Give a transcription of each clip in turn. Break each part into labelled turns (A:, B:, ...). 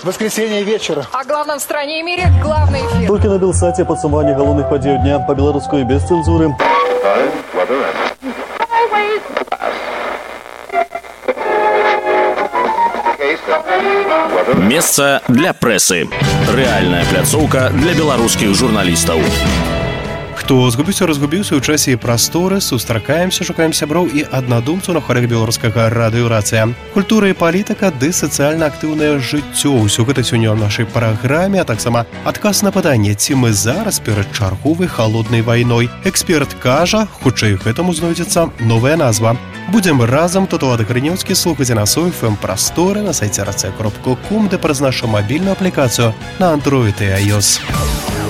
A: Воскресенье вечер.
B: О главном в стране и мире главный эфир.
C: Толькі на Белсаце падсумаванне галоўных падзей дня по-беларуску і без цэнзуры.
D: Месца для прэсы. Рэальная пляцоўка для беларускіх журналістаў.
E: Хто разгубіўся ў часе і прасторы, сустракаемся, шукаем сяброў і аднадумцаў на хвалях беларускага радыё «Рацыя». Культура і палітыка ды сацыяльна актыўнае жыццё. Усё гэта сёння ў нашай праграме, а таксама адказ на пытанне, ці мы зараз перад чарговай халоднай вайной. Эксперт кажа, хутчэй гэтаму знойдзецца новая назва. Будзем разам, Татуад Грынёўскі, слухаць нас у FM-прасторы на сайце racja.com, ды праз нашу мабільную аплікацыю на Android і iOS.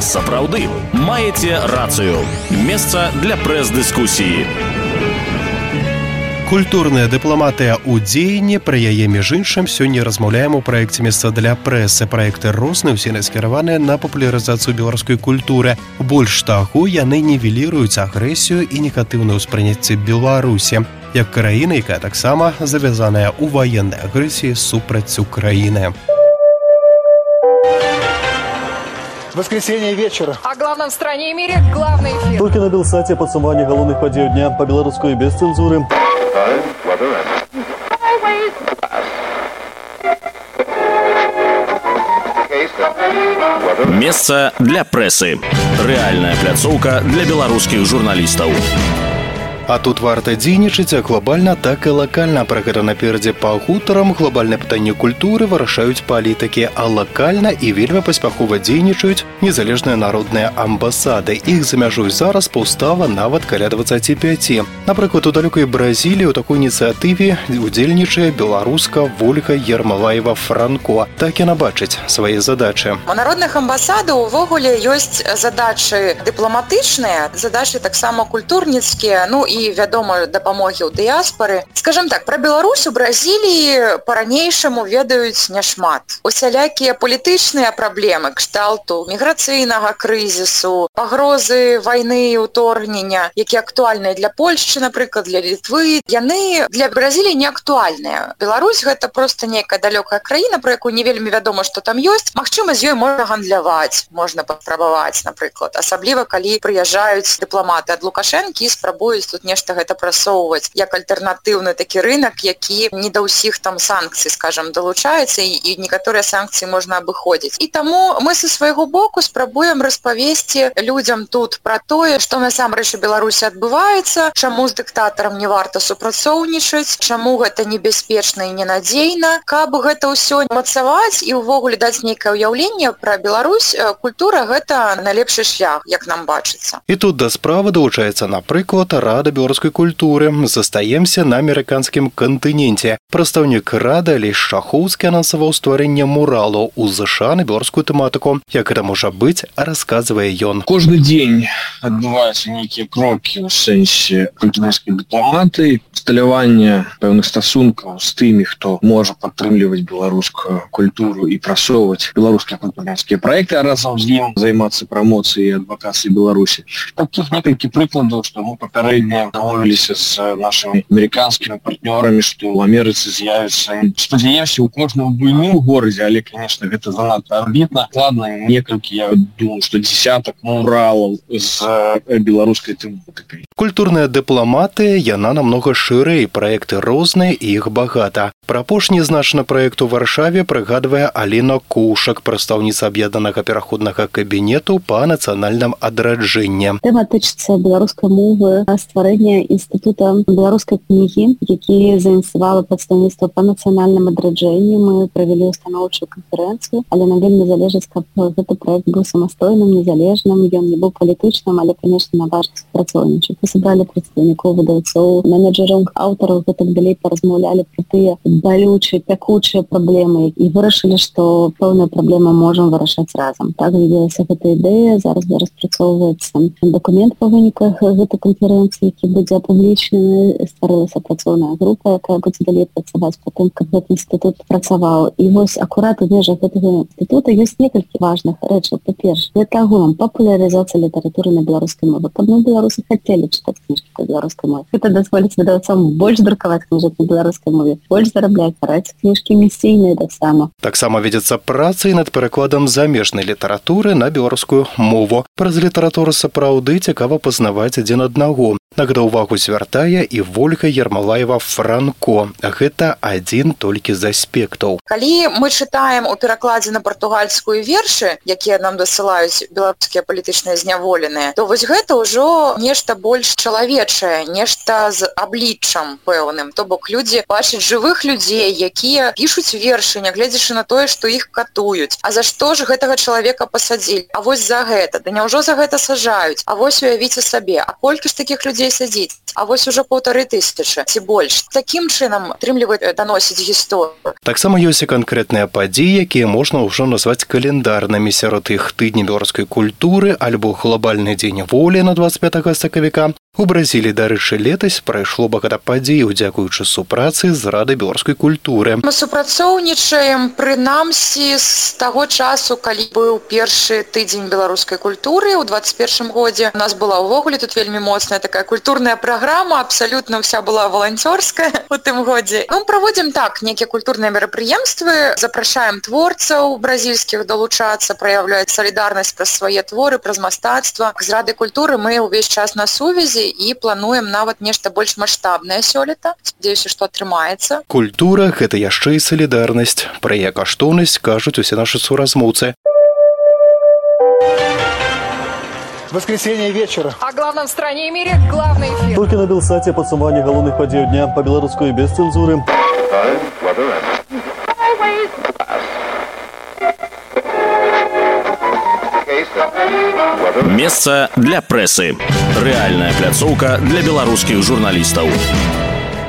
D: Сапраўды, маеце рацыю. Месца для прэс-дыскусіі.
E: Культурная дыпламатыя ў дзеянні, пра яе між іншым сёння размаўляем у праекце «Месца для прэсы». Праекты розныя, усе скіраваныя на папулярызацыю беларускай культуры. Больш таго, яны нівеліруюць агрэсію і негатыўнае ўспрыняцце Беларусі, як краіны, якая таксама завязаная ў ваеннай агрэсіі супраць Украіны.
A: Воскресенье вечер.
B: О главном в стране и мире главный эфир.
C: Толькі на Белсаце падсумаванне галоўных падзей дня по-беларуску і без цэнзуры.
D: Месца для прэсы. Рэальная пляцоўка для беларускіх журналістаў.
E: А тут варта дзейнічаць як глобальна, так і лакальна. Пра гэта наперадзе па гутарам. Глобальнае пытанне культуры вырашаюць палітыкі, а лакальна і вельмі паспяхова дзейнічаюць незалежныя народныя амбасады. Іх за мяжой зараз паўстала нават каля 25. Напрыклад, у далёкай Бразіліі ў такой ініцыятыве удзельнічае беларуска Вольга Ермалаева-Франко. Так яна бачыць свае задачы.
F: У народных амбасадаў увогуле ёсць задачы дыпламатычныя, задачы таксама культурніцкія, ну і вядома, дапамогі ў дыяспары. Скажем так, пра Беларусь у Бразіліі па-ранейшаму ведаюць няшмат. Усялякія палітычныя праблемы кшталту міграцыйнага крызісу, пагрозы вайны і ўторгнення, якія актуальныя для Польшчы, напрыклад, для Літвы, яны для Бразіліі не актуальныя. Беларусь гэта проста нейкая далёкая краіна, про якую не вельмі вядома, што там ёсць. Магчыма, з ёй можна гандляваць, можна паспрабаваць, напрыклад. Асабліва, калі прыязджаюць дыпламаты ад Лукашэнкі і спрабуюць тут нешта гэта прасоўваць як альтэрнатыўны такі рынок, які не да ўсіх там санкцый, скажам, далучаецца, і некаторыя санкцыі можна абыходзіць. І таму мы са свайго боку спрабуем распавесці людзям тут пра тое, што насамрэч у Беларусі адбываецца, чаму з дыктатарам не варта супрацоўнічаць, чаму гэта небяспечна і ненадзейна. Каб гэта ўсё мацаваць і ўвогуле даць нейкае ўяўленне пра Беларусь, культура гэта найлепшы шлях, як нам бачыцца.
E: І тут да справы далучаецца, напрыклад, Рада беларускай культуры. Застаемся на амерыканскім кантыненце. Прадстаўнік Рады Алесь Шахоўскі анансаваў стварэнне муралу ў ЗША на беларускую тэматыку. Як гэта можа быць, расказвае ён.
G: Кожны дзень адбываюцца нейкія крокі ў сэнсе культурніцкай дыпламатыі, усталявання пэўных стасункаў з тымі, хто можа падтрымліваць беларускую культуру і прасоўваць беларускія культурніцкія праекты, а разам з ім займацца прамоцыяй і адвакацыяй Беларусі. Такіх некалькі прыкладаў, што мы папярэдне дамовіліся з нашымі амерыканскімі партнёрамі, што ў Амерыцы з'явіцца, спадзяемся, у кожным буйным горадзе, але, конечно, гэта занадта амбітна. Ладно, некалькі, я думаю, што десятак муралаў з беларускай тэматыкай.
E: Культурная дыпламатыя, яна намнога шырэй, праекты розныя і іх багата. Пра апошні значны праект у Варшаве прыгадвае Алена Кушак, прадстаўніца аб'яднанага пераходнага кабінету па нацыянальным адраджэнні.
H: Тэма тычыцца беларускай мовы, стварэння інстытута беларускай кнігі, які заініцыявала прадстаўніцтва па нацыянальным адраджэнні. Мы правялі устаноўчую канферэнцыю, але нам вельмі залежыць, каб гэты праект быў самастойным, незалежным, ён не быў палітычным, але, конечно, на важных супрацоўнічаць. Мы сабралі прадстаўнікоў, выдаўцоў, менеджераў, аўтараў, гэтак далей паразмаўлялі пра тыя балючыя, пякучыя праблемы і вырашылі, што пэўныя праблемы можам вырашаць разам. Так з'явілася гэта ідэя, зараз распрацоўваецца дакумент па выніках гэтай канферэнцыі, які будзе апублічнены. Стварылася працоўная група, якая будзе далей працаваць па тым, каб гэты інстытут працаваў. І вось акурат у межах гэтага інстытута ёсць некалькі важных рэчаў. Па-першае, гэта агулам папулярызацыя літаратуры на беларускай мове. Каб мы беларусы хацелі чытаць кніжкі на беларускай мове. Гэта дазволіць выдавцам больш друкаваць кніжак на беларускай мове, больш зарабляць, ствараць кніжкі місійныя таксама.
E: Таксама вядзецца праца і над перакладам замежнай літаратуры на беларускую мову. Праз літаратуру сапраўды цікава пазнаваць адзін аднаго. На гэта ўвагу звяртае і Вольга Ермолаева-Франко. Гэта адзін толькі з аспектаў.
F: Калі мы чытаем у перакладзе на партугальскую вершы, якія нам дасылаюць беларускія палітычныя зняволеныя, то вось гэта ўжо нешта больш чалавечае, нешта з абліччам пэўным. То бок людзі бачаць жывых людзей, якія пішуць вершы, нягледзячы на тое, што іх катуюць. А за што ж гэтага чалавека пасадзілі? А вось за гэта. Да няўжо за гэта сажаюць? А вось уявіце сабе, а колькі ж такіх людзей сядзіць? А вось ужо 1500 ці больш. Такім чынам атрымліваюць даносіць гісторыю.
E: Таксама ёсць і канкрэтныя падзеі, якія можна ўжо назваць календарнымі. Сярод іх тыдні беларускай культуры альбо глобальны дзень волі на 25 сакавіка. У Бразіліі, дарэчы, летась прайшло багата падзеяў, дзякуючы супрацы з Радай беларускай культуры.
F: Мы супрацоўнічаем прынамсі з таго часу, калі быў першы тыдзень беларускай культуры ў 21 годзе. У нас была ўвогуле тут вельмі моцная такая культурная праграма, абсалютна ўся была валанцёрская у тым годзе. Мы праводзім так некія культурныя мерапрыемствы, запрашаем творцаў бразільскіх далучацца, праяўляць салідарнасць праз свае творы, праз мастацтва. З Радай культуры мы ўвесь час на сувязі і плануем нават нешта больш маштабнае сёлета. Спадзяюся, што атрымаецца.
E: Культура – гэта яшчэ і салідарнасць. Пра яе каштоўнасць кажуць усе нашы суразмоўцы.
A: Воскресенье вечера.
B: О главном в стране и мире главный эфир.
C: Толькі на Белсаце падсумаванне галоўных падзеяў дня па-беларуску і без цэнзуры.
D: Месца для прэсы. Рэальная пляцоўка для беларускіх журналістаў.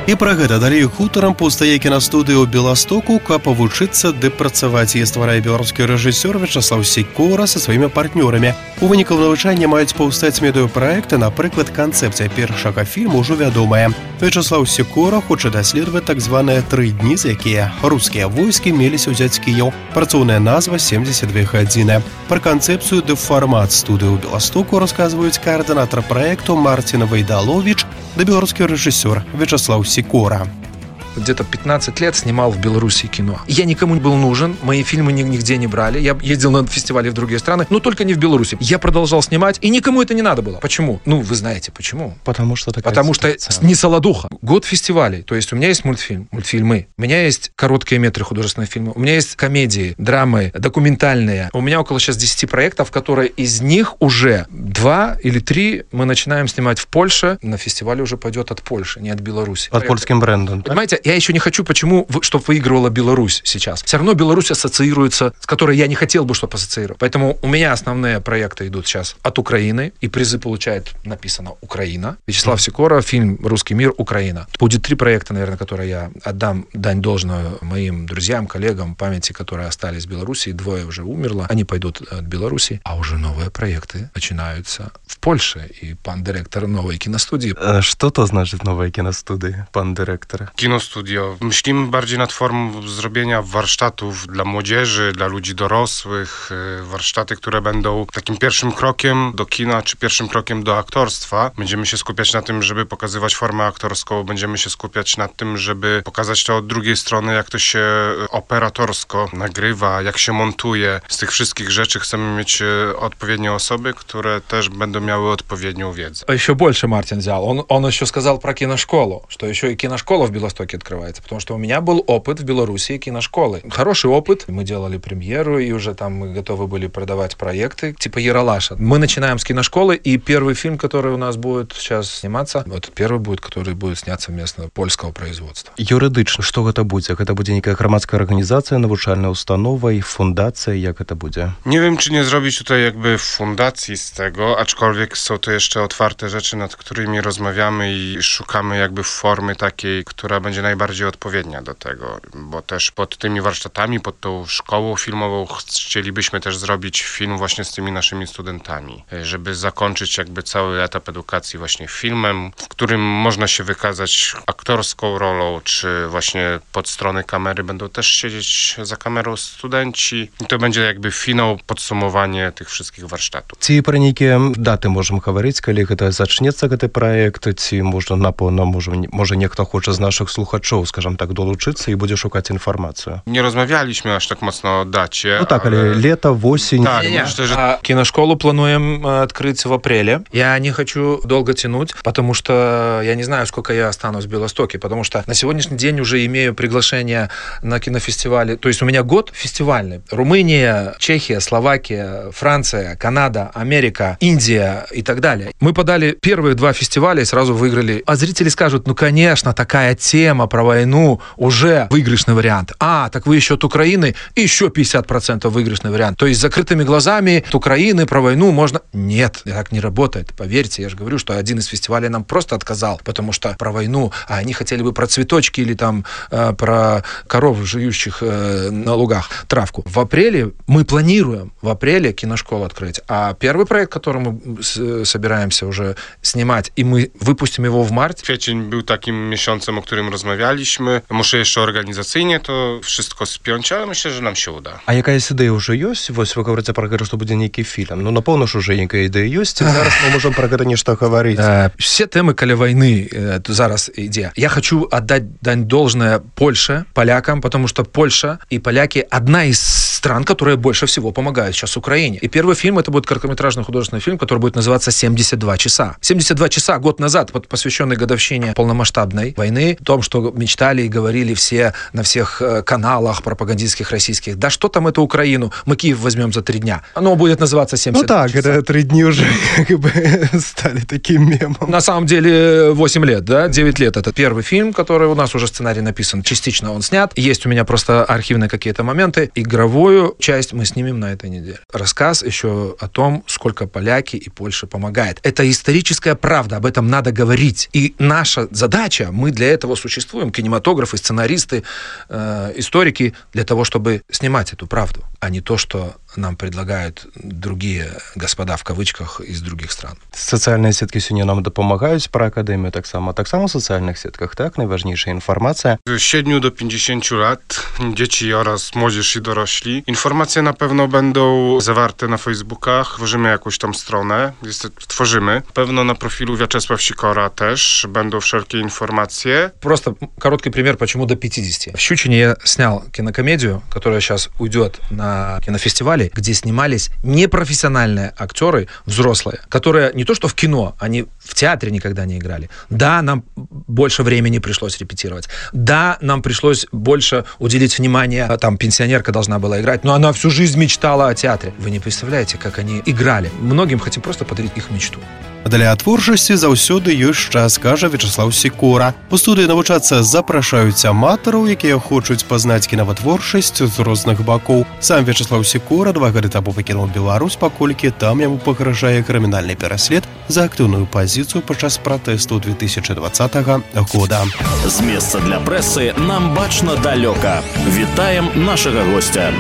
E: І пра гэта далей хутарам паўстае кінастудыя ў Беластоку, каб павучыцца ды працаваць. Яе стварае беларускі рэжысёр Вячаслаў Сікора са сваімі партнёрамі. У выніку навучання маюць паўстаць медыапраекты, напрыклад, канцэпцыя першага фільму ўжо вядомая. Вячаслаў Сікора хоча даследаваць так званыя 3 дні, за якія рускія войскі меліся ўзяць Кіеў. Працоўная назва 72 гадзіны. Пра канцэпцыю ды фармат студыі ў Беластоку расказваюць каардынатар праекту Марцін Вайдаловіч да беларускі рэжысёр Вячаслаў Сикора.
I: Где-то 15 лет снимал в Беларуси кино. Я никому не был нужен, мои фильмы нигде не брали. Я ездил на фестивали в другие страны, но только не в Беларуси. Я продолжал снимать, и никому это не надо было. Почему? Ну, вы знаете, почему.
E: Потому что
I: не солодуха. Год фестивалей. То есть у меня есть мультфильмы. У меня есть короткие метры художественных фильмов. У меня есть комедии, драмы, документальные. У меня около сейчас 10 проектов, которые из них уже 2 или 3 мы начинаем снимать в Польше. На фестивале уже пойдет от Польши, не от Беларуси.
E: От польским брендом.
I: Понимаете, я еще не хочу, чтобы выигрывала Беларусь сейчас. Все равно Беларусь ассоциируется, с которой я не хотел бы, чтобы ассоциировать. Поэтому у меня основные проекты идут сейчас от Украины, и призы получает, написано, Украина. Вячеслав Сикора, фильм «Русский мир. Украина». Будет 3 проекта, наверное, которые я отдам дань должную моим друзьям, коллегам, памяти, которые остались в Беларуси. 2 уже умерло. Они пойдут от Беларуси. А уже новые проекты начинаются в Польше. И пан директор новой киностудии.
E: Что то значит новая киностудия, пан директор?
J: Kinostudio. Myślimy bardziej nad formą zrobienia warsztatów dla młodzieży, dla ludzi dorosłych, warsztaty, które będą takim pierwszym krokiem do kina, czy pierwszym krokiem do aktorstwa. Będziemy się skupiać na tym, żeby pokazywać formę aktorską, będziemy się skupiać na tym, żeby pokazać to od drugiej strony, jak to się operatorsko nagrywa, jak się montuje. Z tych wszystkich rzeczy chcemy mieć odpowiednie osoby, które też będą miały odpowiednią wiedzę.
I: Еще больше Мартин взял. Он еще сказал про киношколу, что еще и киношкола в Белостоке открывается, потому что у меня был опыт в Беларуси киношколы. Хороший опыт. Мы делали премьеру, и уже там мы готовы были продавать проекты, типа Ералаша. Мы начинаем с киношколы, и первый фильм, который у нас будет сейчас сниматься, это первый будет, который будет сняться вместо польского производства.
E: Юридычна, што гэта будзе? Гэта будзе некая грамадская арганізацыя, навучальная установа і фундацыя, jak гэта будзе?
J: Nie wiem, czy nie zrobić tutaj jakby fundacji z tego, aczkolwiek są to jeszcze otwarte rzeczy, nad którymi rozmawiamy i szukamy jakby formy takiej, która będzie najbardziej odpowiednia do tego, bo też pod tymi warsztatami, pod tą szkołą filmową chcielibyśmy też zrobić film właśnie z tymi naszymi studentami, żeby zakończyć jakby cały etap edukacji właśnie filmem, w którym można się wykazać aktorską rolą, czy właśnie pod strony kamery będą też siedzieć za kamerą studenci. I to będzie jakby finał, podsumowanie tych wszystkich warsztatów.
E: Ці пра нейкія даты можам гаварыць, калі гэта зачнецца гэты праект, ці можна, напэўна, можа нехто хоча з нашых слухачоў, скажам так, долучыцца і будзе шукаць інфармацыю.
J: Nie rozmawialiśmy aż tak mocno o dacie.
E: Ну так, ale лето, осень.
J: Так, myślę, że...
I: Киношколу плануем открыть в апреле. Я не хочу долго тянуть, потому что я не знаю, сколько я останусь в Белостоке, потому что на сегодняшний день уже имею приглашение на кинофестивали. То есть у меня год фестивальный. Румыния, Чехия, Словакия, Франция, Канада, Америка, Индия и так далее. Мы подали первые 2 фестиваля и сразу выиграли. А зрители скажут, ну, конечно, такая тема про войну уже выигрышный вариант. А, так вы еще от Украины, еще 50% выигрышный вариант. То есть с закрытыми глазами от Украины про войну можно... Нет, так не работает. Поверьте, я же говорю, что один из фестивалей нам просто отказал, потому что про войну, а они хотели бы про цветочки или там про коров, жующих на лугах травку. В апреле мы планируем в апреле киношколу открыть. А первый проект, который мы собираемся уже снимать, и мы выпустим его в марте.
J: Kwiecień był takim miesiącem, o którym rozmawialiśmy. Muszę jeszcze organizacyjnie to wszystko spiąć, ale myślę, że nam się uda.
E: А якаясь ідэя ўжо ёсць? Вось вы говорите про гэта, што будзе нейкі фільм. Ну, напэўна ж, уже нейкая ідэя ёсць. Зараз мы можем про гэта нешта гаварыць.
I: Все темы каля войны зараз ідзе. Я хочу отдать дань должное Польше, полякам, потому что Польша и поляки одна из стран, которые больше всего помогают сейчас Украине. И первый фильм, это будет короткометражный художественный фильм, который будет называться «72 часа». 72 часа год назад, посвященный годовщине полномасштабной войны, о том, что мечтали и говорили все на всех каналах пропагандистских российских. Да что там это Украину? Мы Киев возьмем за 3 дня. Оно будет называться 72
E: так,
I: часа.
E: это 3 дня уже как бы стали таким мемом.
I: На самом деле 8 лет, да? 9 лет. Это первый фильм, который у нас уже сценарий написан. Частично он снят. Есть у меня просто архивные какие-то моменты. Игровую часть мы снимем на этой неделе. Рассказ еще о том, сколько поляки и Польша помогает. Это историческая правда, об этом надо говорить. И наша задача, мы для этого существуем, кинематографы, сценаристы, историки, для того, чтобы снимать эту правду, а не то, что нам предлагают другие господа в кавычках из других стран.
E: Социальные сетки сегодня нам допомагають про академію так само в соціальних сетках, так? Najważniejsza informacja.
J: Z 7 do 50 lat, dzieci oraz młodzież i dorośli. Informacje na pewno będą zawarte na Facebookach. Tworzymy jakąś tam stronę. Tworzymy. Pewno na profilu Wiaczesław Sikora też będą wszelkie informacje.
I: Просто короткий пример, почему до 50. В Щучине я снял кинокомедию, которая сейчас уйдет на кинофестивале, где снимались непрофессиональные актеры, взрослые, которые не то что в кино, они в театре никогда не играли. Да, нам больше времени пришлось репетировать. Да, нам пришлось больше уделить внимание. Там пенсионерка должна была играть, но она всю жизнь мечтала о театре. Вы не представляете, как они играли. Многим хотим просто подарить их мечту.
E: Для творчасці заўсёды ёсць час, кажа Вячеслав Сікора. У студыі навучацца запрашаюць аматараў, якія хочуць пазнаць кінаватворчасць з розных бакоў. Сам Вячеслав Сікора 2 гады таму пакінуў Беларусь, паколькі там яму пагражае крымінальны пераслед за актыўную пазіцыю падчас пратэсту 2020 года.
D: З месца для прэсы нам бачна далёка. Вітаем нашага гостя.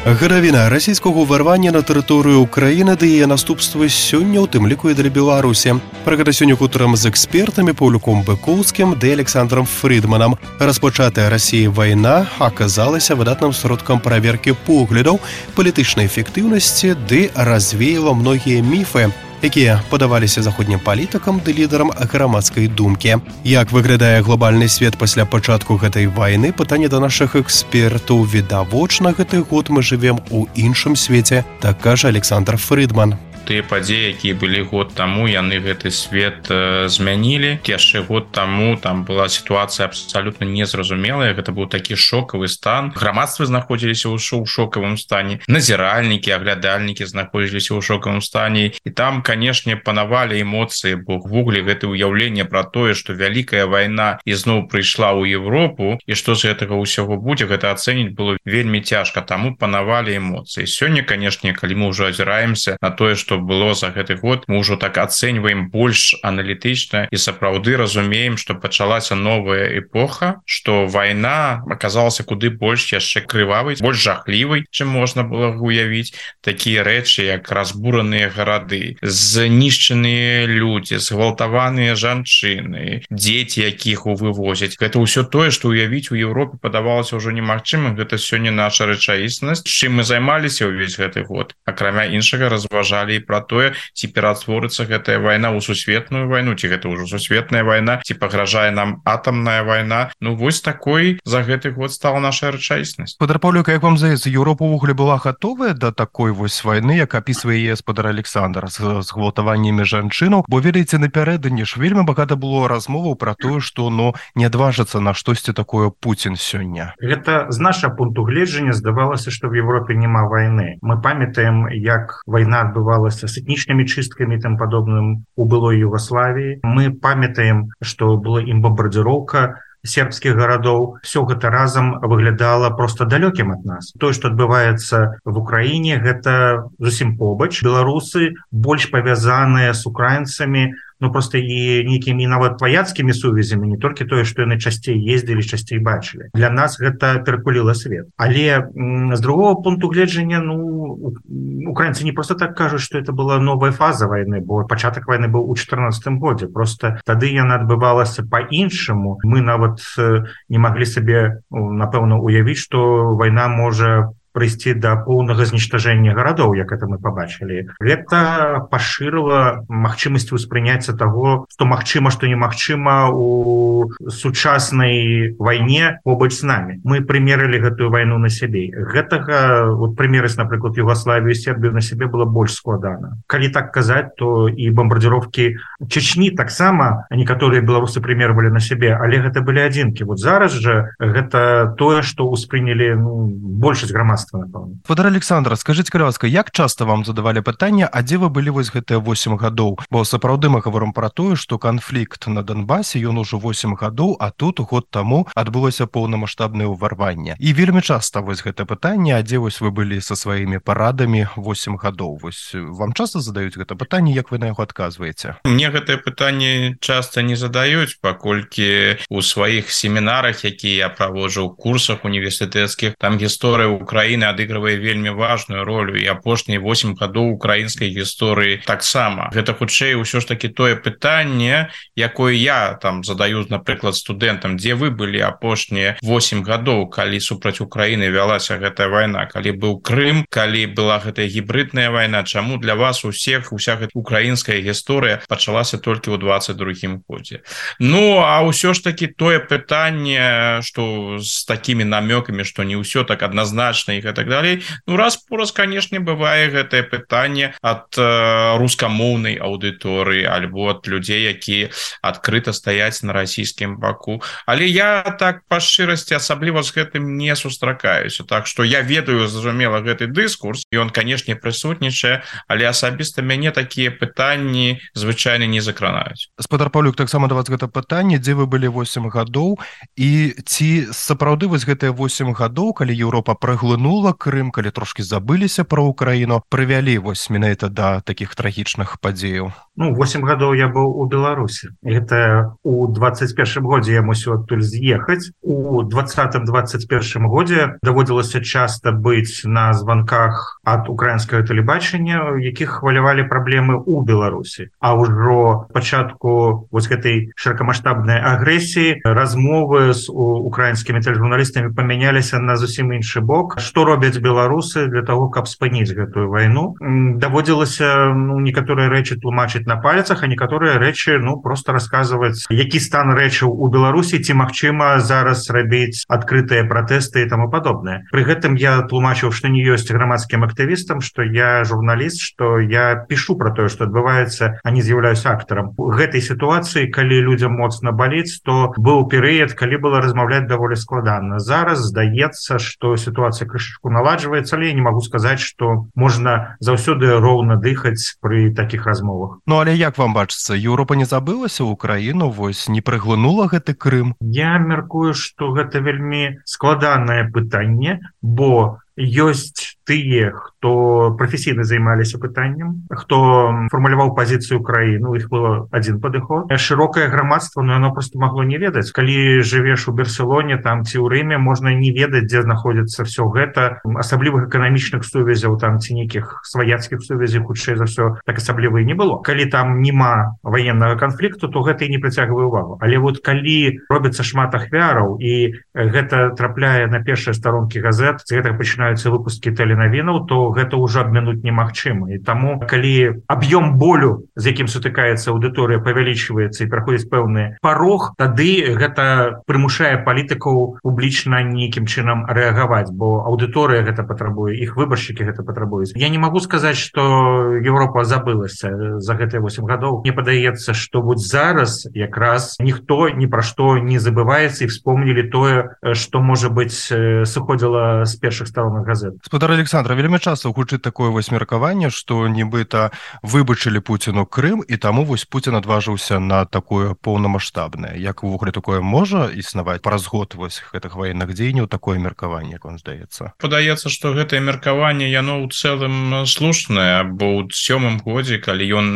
E: Гадавіна расійскага ўварвання на тэрыторыю Украіны ды яе наступствы сёння, у тым ліку і для Беларусі. Пра гэта сёння гутарам з экспертамі Паўлюком Быкоўскім ды Александром Фрідманам. Распачатая Расіяй вайна аказалася выдатным сродкам праверкі поглядаў, палітычнай эфектыўнасці ды развеяла многія міфы, якія падаваліся заходнім палітыкам ды лідарам грамадскай думкі. Як выглядае глобальны свет пасля пачатку гэтай вайны? Пытанне да нашых экспертаў. Відавочна, гэты год мы жывем у іншым свеце, так кажа Александр Фрідман.
K: Тыя падзеі, якія былі год таму, яны гэты свет змянілі. Яшчэ год таму там была сітуацыя абсалютна незразумелая. Гэта быў такі шокавы стан. Грамадства знаходзіліся ў шокавым стане. Назіральнікі, аглядальнікі знаходзіліся ў шокавым стане. І там, канешне, панавалі эмоцыі, бо ўвогуле гэта ўяўленне пра тое, што вялікая вайна ізноў прыйшла ў Европу, і што з гэтага ўсяго будзе, гэта ацэніць было вельмі цяжка. Таму панавалі эмоцыі. Сёння, канешне, калі мы ўжо азіраемся на тое, што што было за гэты год, мы ўжо так ацэньваем больш аналітычна і сапраўды разумеем, што пачалася новая эпоха, што вайна аказалася куды больш яшчэ крывавай, больш жахлівай, чым можна было уявіць. Такія рэчы, як разбураныя гарады, знішчаныя людзі, згвалтаваныя жанчыны, дзеці, якіх вывозяць. Гэта ўсё тое, што ўявіць у Еўропе падавалася ўжо немагчымым. Гэта сёння наша рэчаіснасць. Чым мы займаліся ўвесь гэты год? Акрамя іншага разважалі і пра тое, ці ператворыцца гэтая вайна ў сусветную вайну, ці гэта ўжо сусветная вайна, ці пагражае нам атамная вайна. Ну вось такой за гэты год стала наша рэчаіснасць.
E: Спадар Паўлюк, як вам здаецца, Еўропа ўвогуле была гатовая да такой вось вайны, як апісвае яе спадар Александр, з гвалтаваннямі жанчынаў? Бо ведаеце, напярэдадні ж вельмі багата было размоваў пра тое, што не адважыцца на штосьці такое Пуцін сёння.
L: Гэта з нашага пункту гледжання здавалася, што в Европе няма войны. Мы памятаем, як война адбывалася с этнічнымі чысткамі і там падобным у былой Югославіі. Мы памятаем, што была ім бомбардзіроўка сербскіх гарадоў. Все гэта разам выглядала просто далёкім ад нас. Тое, што адбываецца в Украіне, гэта зусім побач. Беларусы больш павязаныя з украінцамі, ну просто і нейкімі нават ваяцкімі сувязямі, не толькі тое, што яны часцей ездзілі, часцей бачылі. Для нас гэта перакуліла свет. Але з другого пункту гледжання, украінцы не просто так кажуць, што это была новая фаза вайны, бо пачатак вайны быў у 14 годзе. Просто тады яна адбывалася па-іншаму. Мы нават не маглі сабе, напэўна, уявіць, што вайна можа прыйсці да поўнага знішчажэння гарадоў, як это мы пабачылі. Гэта пашырыла магчымасць успрыняцця таго, што магчыма, што немагчыма у сучаснай вайне побач з намі. Мы прымерылі гэтую вайну на сябе. Гэтага, прымерыць, напрыклад, Югославію і Сербію на сябе было больш складана. Калі так казаць, то і бомбардзіроўкі Чечні таксама некаторыя беларусы прымервалі на сябе, але гэта былі адзінкі. Вот зараз жа гэта тое, што ўспрынялі большасць грамадства.
E: Спадар Александр, скажыце, калі ласка, як часта вам задавалі пытанне, а дзе вы былі вось гэтыя 8 гадоў? Бо сапраўды мы гаворым пра тое, што канфлікт на Донбасе, ён ужо 8 гадоў, а тут год таму адбылося поўнамаштабнае ўварванне. І вельмі часта вось гэта пытанне, а дзе вось вы былі са сваімі парадамі 8 гадоў? Вось вам часта задаюць гэта пытанне, як вы на яго адказваеце?
K: Мне гэтае пытанне часта не задаюць, паколькі у сваіх семінарах, якія я праводжу ў курсах універсітэцкіх, там гісторыя Украіны адыгрывае вельмі важную ролю, і апошнія 8 гадоў украінскай гісторыі таксама. Гэта хутчэй ўсё ж такі тое пытанне, якое я там задаю, напрыклад, студэнтам: дзе вы былі апошнія 8 гадоў, калі супраць Украіны вялася гэтая вайна, калі быў Крым, калі была гэтая гібридная вайна, чаму для вас уся гэта украінская гісторыя пачалася толькі ў 22-м годзе? Ну, а ўсё ж такі тое пытанне, што з такімі намёкамі, што не ўсё так адназначна і так далей. Ну, раз-пораз, канешне, бывае гэтае пытанне ад рускамоўнай аўдыторыі альбо ад людзей, якія адкрыта стаяць на расійскім баку. Але я так па шчырасці асабліва з гэтым не сустракаюся. Так што я ведаю, зразумела, гэты дыскурс, і ён, канешне, прысутнічае, але асабіста мяне такія пытанні звычайна не закранаюць.
E: Спадар Паўлюк, таксама да вас гэта пытанне: дзе вы былі 8 гадоў, і ці сапраўды вось гэтыя 8 гадоў, калі Еўропа праглынула Крым, калі трошкі забыліся пра Украіну, прывялі вось менавіта да такіх трагічных падзеяў?
L: 8 гадоў я быў у Беларусі. Гэта у 21 годзе я мусіў адтуль з'ехаць. У 20-21 годзе даводзілася часта быць на званках ад украінскага тэлебачання, якіх хвалявалі праблемы ў Беларусі. А ўжо пачатку вось гэтай шырокамаштабнай агрэсіі размовы з украінскімі тэлежурналістамі памяняліся на зусім іншы бок. Што робяць беларусы для того, каб спыніць гэтую вайну? Даводзілася некаторыя рэчы тлумачыць на пальцах, а некаторыя рэчы просто расказваць, які стан рэчаў у Беларусі, ці магчыма зараз рабіць адкрытыя пратэсты і таму падобнае. Пры гэтым я тлумачыў, што не ёсць грамадскім актывістам, што я журналіст, што я пішу пра тое, што адбываецца, а не з'яўляюся актарам. У гэтай сітуацыі, калі людзям моцна баліць, то быў перыяд, калі было размаўляць даволі складана. Зараз здаецца, што сітуацыя крышачку наладжваецца, але я не магу сказаць, што можна заўсёды роўна дыхаць пры такіх размовах.
E: Ну, але як вам бачыцца, Еўропа не забылася Украіну, вось не прыглынула гэты Крым?
L: Я мяркую, што гэта вельмі складанае пытанне, бо ёсць тыя, хто прафесійна займаліся пытаннем, хто фармуляваў пазіцыю краіны, у іх было адзін падыход. Шырокае грамадства, но яно просто магло не ведаць. Калі жывеш у Барселоне там ці ў Рыме, можна не ведаць, дзе знаходзіцца все гэта. Асаблівых эканамічных сувязяў там ці нейкіх сваяцкіх сувязей, хутчэй за ўсё, так асабліва і не было. Калі там няма ваеннага канфлікту, то гэта і не прыцягвае ўвагу. Але вот калі робіцца шмат ахвяраў і гэта трапляе на першыя старонкі газет, з гэтага пачынаюцца выпускі тэленавінаў, то гэта ўжо абмінуць немагчыма. І таму, калі аб'ём болю, з якім сутыкаецца аўдыторыя, павялічваецца і праходзіць пэўны парог, тады гэта прымушае палітыкаў публічна нейкім чынам рэагаваць, бо аўдыторыя гэта патрабуе, іх выбаршчыкі гэта патрабуюць. Я не магу сказаць, што Еўропа забылася за гэтыя 8 гадоў. Мне падаецца, што вот зараз якраз ніхто ні пра што не забываецца і вспомнілі тое, што, можа быць, сыходзіла з першых старонак газет.
E: Гаспадар Александра, вельмі часта гучыць такое вось меркаванне, што нібыта выбачылі Пуціну Крым, і таму вось Пуцін адважыўся на такое поўнамаштабнае. Як увогуле такое можа існаваць праз год вось гэтых ваенных дзеянняў, такое меркаванне, як вам здаецца?
K: Падаецца, што гэтае меркаванне, яно ў цэлым слушнае, бо ў 7-м годзе, калі ён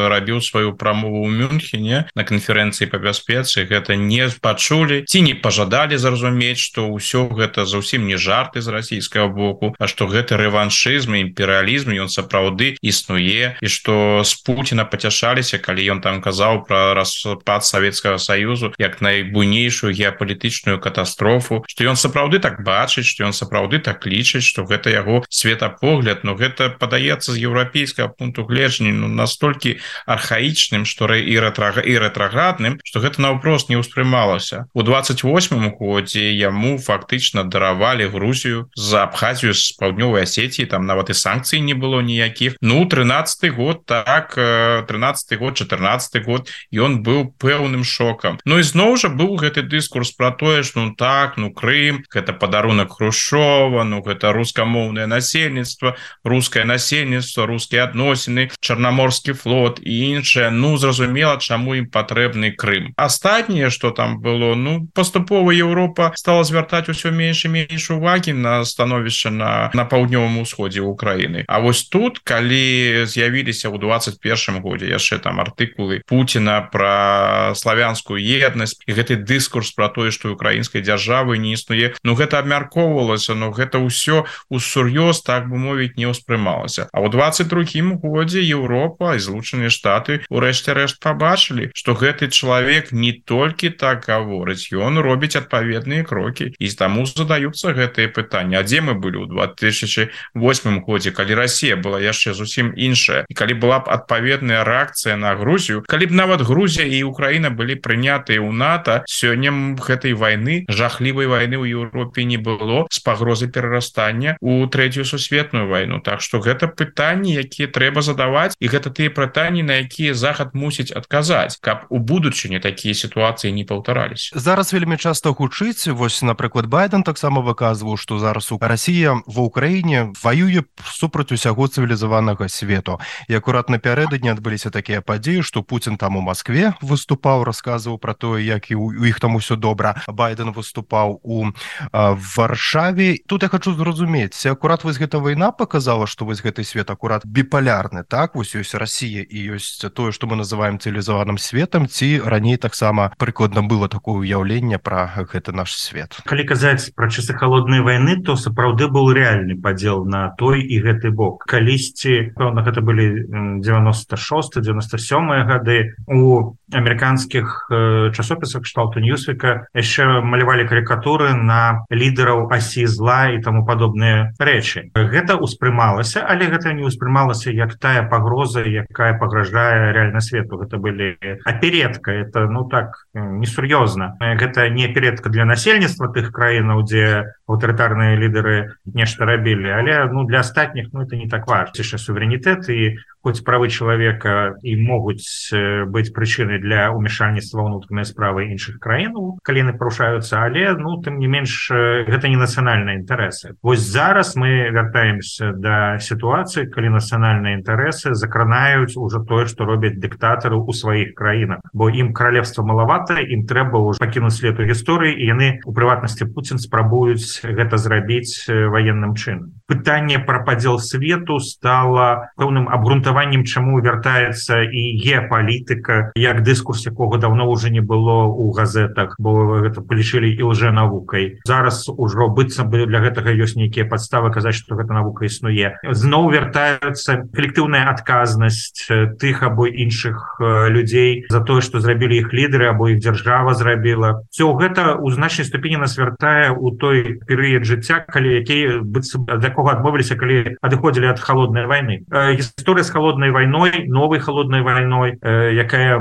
K: рабіў сваю прамову ў Мюнхене на канферэнцыі па бяспецы, гэта не пачулі ці не пажадалі зразумець, што ўсё гэта зусім не жарты з расійскага боку, а што гэта рэваншызм і імперыялізм, ён сапраўды існуе, і што з Пуціна пацяшаліся, калі ён там казаў пра распад Савецкага Саюзу як найбуйнейшую геапалітычную катастрофу, што ён сапраўды так бачыць, што ён сапраўды так лічыць, што гэта яго светапогляд, но гэта падаецца з еўрапейскага пункту гледжання настолькі архаічным, што і рэтраградным, што гэта наўпрост не ўспрымалася. У 28-м годзе яму фактычна даравалі Грузію за Абхазію з паўднёвай Асетіі, там нават і санкцый не было ніякіх. Ну, 13-й год, так, 13-й год, 14-й год, ён быў пэўным шокам. Ну і зноў жа быў гэты дыскурс пра тое, што ну так, ну Крым, гэта падарунак Хрушчова, ну гэта рускамоўнае насельніцтва, рускае насельніцтва, рускія адносіны, Чарнаморскі флот і іншае. Ну, зразумела, чаму ім патрэбны Крым. Астатняе, што там было, ну, паступова Еўропа стала звяртаць усё менш і менш увагі на становішча на паўднёвым усходзе Украіны. А вось тут, калі з'явіліся ў 21-м годзе яшчэ там артыкулы Пуціна пра славянскую еднасць і гэты дыскурс пра тое, што украінскай дзяржавы не існуе, ну гэта абмяркоўвалася, но гэта ўсё усур'ёз, так бы мовіць, не ўспрымалася. А ў 22-м годзе Еўропа і Злучаныя Штаты урэшце рэшт пабачылі, што гэты чалавек не толькі так гаворыць, ён робіць адпаведныя крокі, і таму задаюцца гэтыя пытанні. А дзе мы былі ў 2008 годзе, калі Расія была яшчэ зусім іншая, і калі была б адпаведная рэакцыя на Грузію, калі б нават Грузія і Украіна былі прынятыя ў НАТО, сёння гэтай вайны, жахлівай вайны ў Еўропе не было з пагрозай перарастання ў Трэцюю сусветную вайну. Так што гэта пытанні, якія трэба задаваць, і гэта тыя пытанні, на якія Захад мусіць адказаць, каб у будучыні такія сітуацыі не паўтараліся.
E: Зараз вельмі часта гучыць, вось, напрыклад, Байден таксама выказваў, што зараз Расія ва Ўкраіне ваюе супраць усяго цывілізаванага свету. І акурат напярэдадні адбыліся такія падзеі, што Пуцін там у Маскве выступаў, расказваў пра тое, як і у іх там усё добра. Байден выступаў у Варшаве. Тут я хочу зразумець, акурат вось гэта вайна показала, што вось гэты свет акурат біпалярны, так? Вось ёсць Расія і ёсць тое, што мы называем цывілізаваным светам, ці раней таксама прыкладна было такое ўяўленне пра гэты наш свет.
L: Калі казаць пра часы халоднай вайны, то сапраўды быў рэальны падзел на той і гэты бок. Калісьці, пэўна, гэта былі 96-97 гады, у амерыканскіх часопісах кшталту Ньюсвіка яшчэ малявалі карикатуры на лідараў асі зла і таму падобныя рэчы. Гэта ўспрымалася, але гэта не ўспрымалася як тая пагроза, якая пагражае рэальна свету. Гэта былі аперетка, это, ну так, несур'ёзна. Гэта не аперетка для насельніцтва тых краінаў, дзе аўтарытарныя лідары нешта рабілі, але, ну, для астатніх, ну, это не так важна. Яшчэ суверэнітэт і хоць правы чалавека і могуць быць прычынай для ўмешальніцтва ва ўнутраныя справы іншых краінаў, калі яны парушаюцца, але тым не менш гэта не нацыянальныя інтарэсы. Вось зараз мы вяртаемся да сітуацыі, калі нацыянальныя інтарэсы закранаюць ужо тое, што робяць дыктатары ў сваіх краінах, бо ім каралевства малавата, ім трэба ўжо пакінуць след у гісторыі, і яны, у прыватнасці Пуцін, спрабуюць гэта зрабіць ваенным чынам. Пытанне пра падзел свету стала пэўным абгрунтаваннем, чаму вяртаецца і геапалітыка, як дыскурс, якога даўно ўжо не было ў газетах, бо гэта палічылі і лжэнавукай. Зараз ужо быццам бы для гэтага ёсць нейкія падставы казаць, што гэта навука існуе. Зноў вяртаюцца калектыўная адказнасць тых або іншых людзей за тое, што зрабілі іх лідары або іх дзяржава зрабіла. Всё гэта ў значнай ступені нас вяртае ў той перыяд жыцця, калі які быццам ад якога адмовіліся, калі адыходзілі ад халоднай вайны. Гісторыя з халоднай вайной, новай халоднай вайной, якая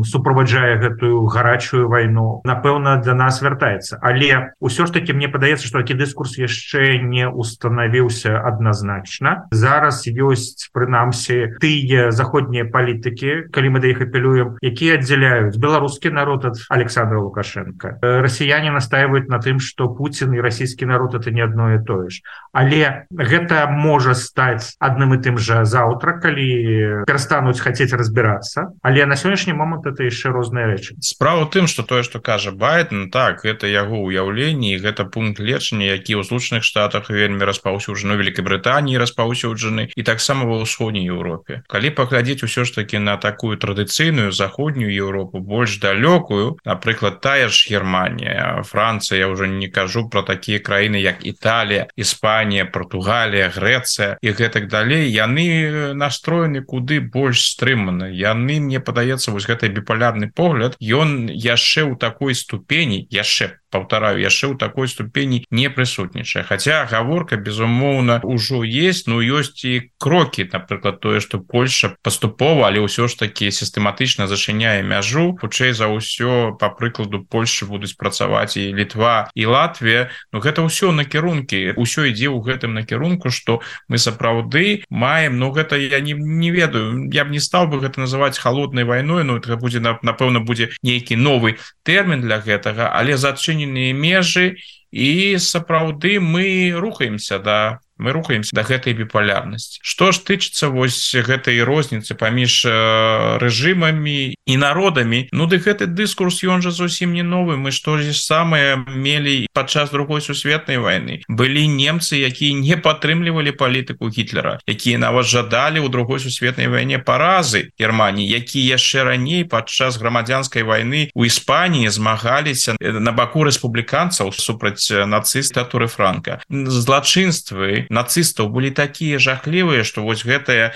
L: суправаджае гэтую гарачую вайну, напэўна, для нас вяртаецца. Але ўсё ж такі мне падаецца, што такі дыскурс яшчэ не устанавіўся адназначна. Зараз ёсць, прынамсі, тыя заходнія палітыкі, калі мы да іх апелюем, якія аддзяляюць беларускі народ ад Александра Лукашенка. Расіяне настаиваюць на тым, што Пуцін і расійскі народ это не адно і тое ж. Але гэта можа стаць адным і тым жа заўтра, калі перастануць хацець разбірацца. Але на сённяшні момант это яшчэ розныя рэчы.
K: Справа ў тым, што тое, што кажа Байден, так, гэта яго ўяўленне, і гэта пункт лечання, які ў Злучаных Штатах вельмі распаўсюджаны, у Вялікай Брытаніі распаўсюджаны, і таксама ва ўсходняй Еўропе. Калі паглядзець усё ж такі на такую традыцыйную заходнюю Еўропу, больш далёкую, напрыклад, тая ж Германія, Францыя, я ўжо не кажу пра такія краіны, як Італія, Іспанія, Партугалія, Грэцыя і гэтак далей, яны настроены куды больш стрымана. Яны, мне падаецца, вось гэты біполярны погляд, ён яшчэ ў такой ступені, яшчэ ў такой ступені не прысутнічае. Хаця гаворка, безумоўна, ужо есть, ёсць і крокі, напрыклад, тое, што Польша паступова, але ўсё ж такі сістэматычна зачыняе мяжу. Хутчэй за ўсё, па прыкладу Польшы будуць працаваць і Літва, і Латвія. Гэта ўсё накірункі, ўсё ідзе ў гэтым накірунку, што мы сапраўды маем, гэта я не ведаю, я б не стаў бы гэта называць халоднай вайной, гэта будзе, напэўна, будзе нейкі новы тэрмін для гэтага, але зачыненыя межы, і сапраўды мы рухаемся да гэтай біполярнасці. Што ж тычыцца вось гэтай розніцы паміж рэжымамі і народамі, дык гэты дыскурс, ён жа зусім не новы. Мы што ж самае мелі падчас Другой сусветнай вайны. Былі немцы, якія не падтрымлівалі палітыку Гітлера, якія нават жадалі ў Другой сусветнай вайне паразы Германіі, якія яшчэ раней падчас грамадзянскай вайны ў Іспаніі змагаліся на баку рэспубліканцаў супраць нацыстатуры Франка. Злачынствы нацыстаў былі такія жахлівыя, што вось гэтая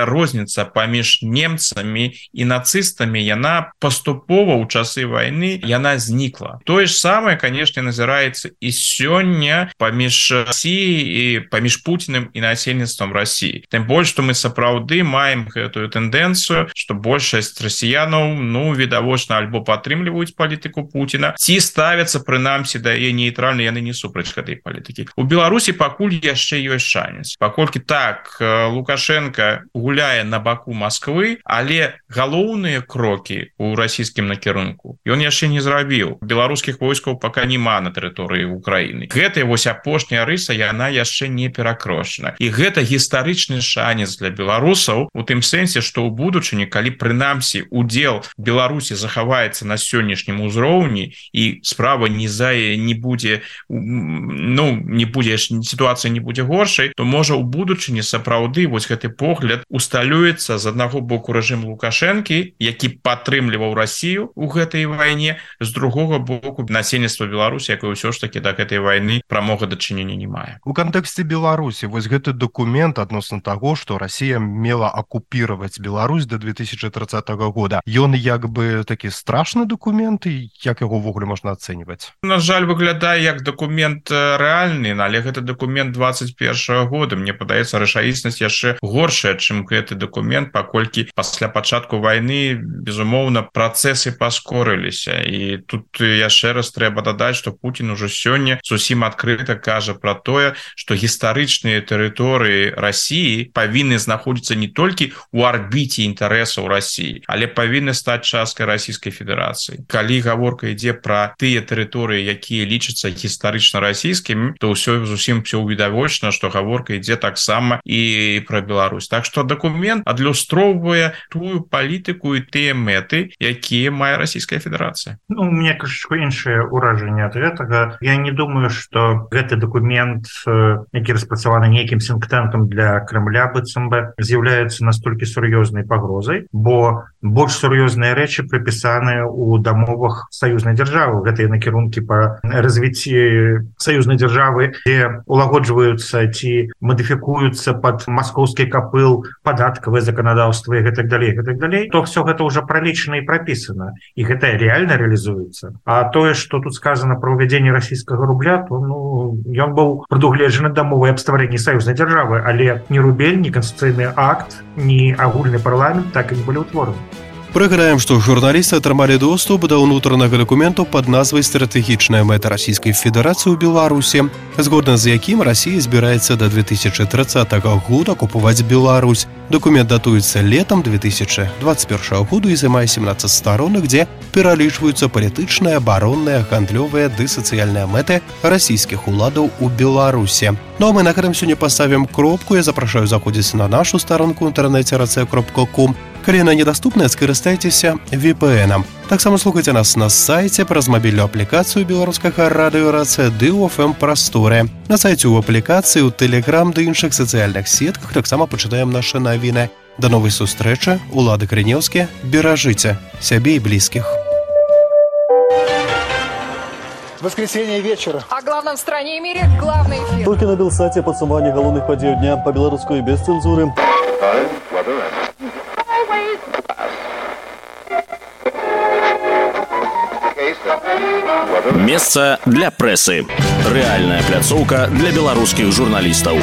K: розніца паміж немцамі і нацыстамі, яна паступова ў часы вайны яна знікла. Тое ж самае, канешне, назіраецца і сёння паміж Расіяй і паміж Пуцінам і насельніцтвам Расіі. Тым больш, што мы сапраўды маем гэтую тэндэнцыю, што большасць расіянаў, відавочна, альбо падтрымліваюць палітыку Пуціна, ці ставяцца, прынамсі, да яе нейтральна, яны не супраць гэтай палітыкі. У Беларусі пакуль яшчэ ёсць шанец. Паколькі так, Лукашенко гуляе на баку Масквы, але галоўныя крокі ў расійскім накірунку ён яшчэ не зрабіў. Беларускіх войскаў пака няма на тэрыторыі Украіны. Гэтая вось апошняя рыса, яна яшчэ не перакрошана. І гэта гістарычны шанец для беларусаў у тым сэнсе, што ў будучыні, калі прынамсі удзел Беларусі захаваецца на сённяшнім узроўні і справа не будзе, сітуацыя не будзе горшай, то можа ў будучыні сапраўды вось гэты погляд усталюецца з аднаго боку рэжым Лукашэнкі, які падтрымліваў Расію ў гэтай вайне, з другога боку насельніцтва Беларусі, якое ўсё ж такі да гэтай вайны прамога дачынення не мае.
E: У кантэксце Беларусі вось гэты дакумент адносна таго, што Расія мела акупіраваць Беларусь до 2030 года, ён як бы такі страшны дакумент, і як яго ўвогуле можна ацэньваць?
K: На жаль, выглядае як дакумент рэальны, але гэта дакумент 20 21 года. Мне падаецца, рэчаіснасць яшчэ горшая, чым гэты дакумент, паколькі пасля пачатку вайны, безумоўна, працэсы паскорыліся. І тут яшчэ раз трэба дадаць, што Путін ужо сёння зусім адкрыта кажа пра тое, што гістарычныя тэрыторыі Расіі павінны знаходзіцца не толькі ў арбіце інтарэсаў Расіі, але павінны стаць часткай Расійскай Федэрацыі. Калі гаворка ідзе пра тыя тэрыторыі, якія лічацца гістарычна расійскімі, то ўсё зусім все відавочна, што гаворка ідзе таксама і пра Беларусь. Так што дакумент адлюстроўвае тую палітыку і тыя мэты, якія мае Расійская Федэрацыя.
L: У меня крышечку іншае ўражанне ад гэтага. Я не думаю, што гэты дакумент, які распрацаваны нейкім сінктэнкам для Кремля, быццам бы з'яўляецца настолькі сур'ёзнай пагрозай, бо больш сур'ёзныя рэчы прыпісаныя ў дамовах саюзнай дзяржавы. Гэтыя накірункі па развіцці саюзнай дзяржавы, дзе улагоджваюцца ці мадыфікуюцца пад маскоўскі капыл падаткавае заканадаўства і гэтак далей, то все гэта ўжо пралічана і прапісана, і гэта реально реалізуецца. А тое, што тут сказано про ўвядзенне расійскага рубля, то ён быў прадугледжаны дамовай аб стварэнні саюзнай дзяржавы, але ні рубель, ні канстытуцыйны акт, ні агульны парламент так і не былі ўтвораны.
E: Прыгадаем, што журналісты атрымалі доступ да ўнутранага дакументу пад назвай «Стратэгічная мэта Расійскай Федэрацыі ў Беларусі», згодна з якім Расія збіраецца да 2030 года купуваць Беларусь. Дакумент датуецца летам 2021 году і займае 17 старонак, дзе пералічваюцца палітычныя, абаронныя, гандлёвыя ды сацыяльныя мэты расійскіх уладаў у Беларусі. Ну а мы на гэтым сёння паставім кропку. Я запрашаю заходзіць на нашу старонку ў інтэрнэце rc.com. Калі яна недаступная, скарыстайцеся VPN-ам. Таксама слухайце нас на сайце праз мабільную аплікацыю беларускага радыё РАЦ ды ў FM-прасторы. На сайце ў аплікацыі, у Telegram ды іншых сацыяльных сетках таксама пачытаем нашы навіны. Да новай сустрэчы. Улады Крынеўскі. Беражыце сябе і блізкіх.
A: Воскресенье вечера.
B: О главном в стране и мире главный эфир.
C: Только на Белсате подсумование головных подей дня по-белорусски без цензуры.
D: Месца для прэсы. Рэальная пляцоўка для беларускіх журналістаў.